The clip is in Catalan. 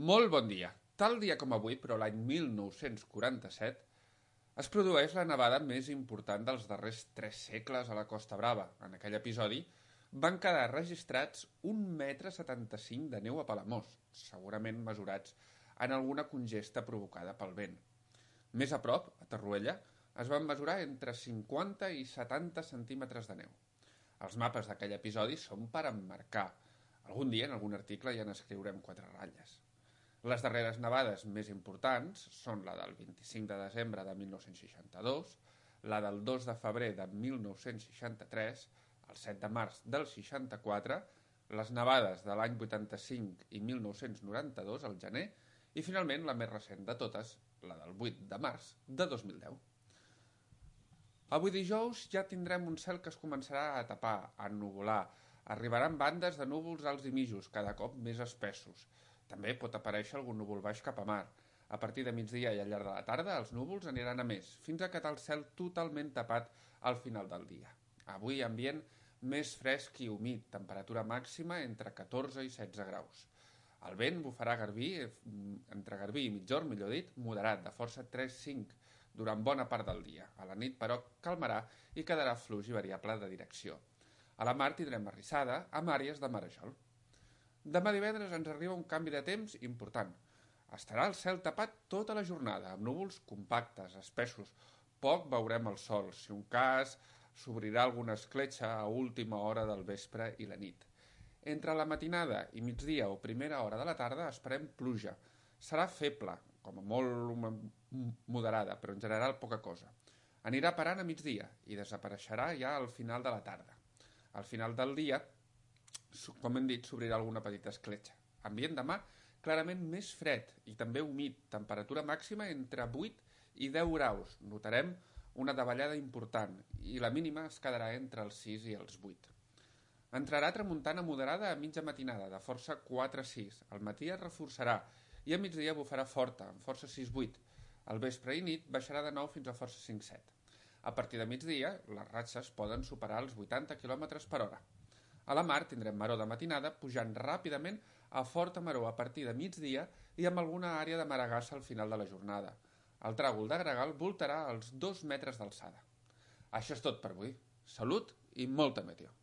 Molt bon dia. Tal dia com avui, però l'any 1947, es produeix la nevada més important dels darrers 3 segles a la Costa Brava. En aquell episodi van quedar registrats 1,75 m de neu a Palamós, segurament mesurats en alguna congesta provocada pel vent. Més a prop, a Torroella, es van mesurar entre 50 i 70 centímetres de neu. Els mapes d'aquell episodi són per emmarcar. Algun dia en algun article ja n'escriurem 4 ratlles. Les darreres nevades més importants són la del 25 de desembre de 1962, la del 2 de febrer de 1963, el 7 de març del 64, les nevades de l'any 85 i 1992 al gener i finalment la més recent de totes, la del 8 de març de 2010. Avui dijous ja tindrem un cel que es començarà a tapar, a ennuvolar. Arribaran bandes de núvols alts i mitjos, cada cop més espessos. També pot aparèixer algun núvol baix cap a mar. A partir de migdia i al llarg de la tarda els núvols aniran a més, fins a quedar el cel totalment tapat al final del dia. Avui ambient més fresc i humit, temperatura màxima entre 14 i 16 graus. El vent bufarà entre Garbí i Migjorn, millor dit, moderat, de força 3-5, durant bona part del dia. A la nit, però, calmarà i quedarà fluix i variable de direcció. A la mar tindrem arrissada amb àrees de marejol. Demà divendres ens arriba un canvi de temps important. Estarà el cel tapat tota la jornada, amb núvols compactes, espessos. Poc veurem el sol. Si un cas, s'obrirà alguna escletxa a última hora del vespre i la nit. Entre la matinada i migdia o primera hora de la tarda esperem pluja. Serà feble, com a molt moderada, però en general poca cosa. Anirà parant a migdia i desapareixerà ja al final de la tarda. Al final del dia, com hem dit, s'obrirà alguna petita escletxa. Ambient demà clarament més fred i també humit, temperatura màxima entre 8 i 10 graus. Notarem una davallada important i la mínima es quedarà entre els 6 i els 8. Entrarà tramuntana moderada a mitja matinada, de força 4-6. Al matí es reforçarà i a migdia bufarà forta, amb força 6-8. Al vespre i nit baixarà de nou fins a força 5-7. A partir de migdia, les ratxes poden superar els 80 km per hora. A la mar tindrem maror de matinada, pujant ràpidament a forta maror a partir de migdia i amb alguna àrea de maragassa al final de la jornada. El tràgol de gregal voltarà als 2 metres d'alçada. Això és tot per avui. Salut i molta meteo.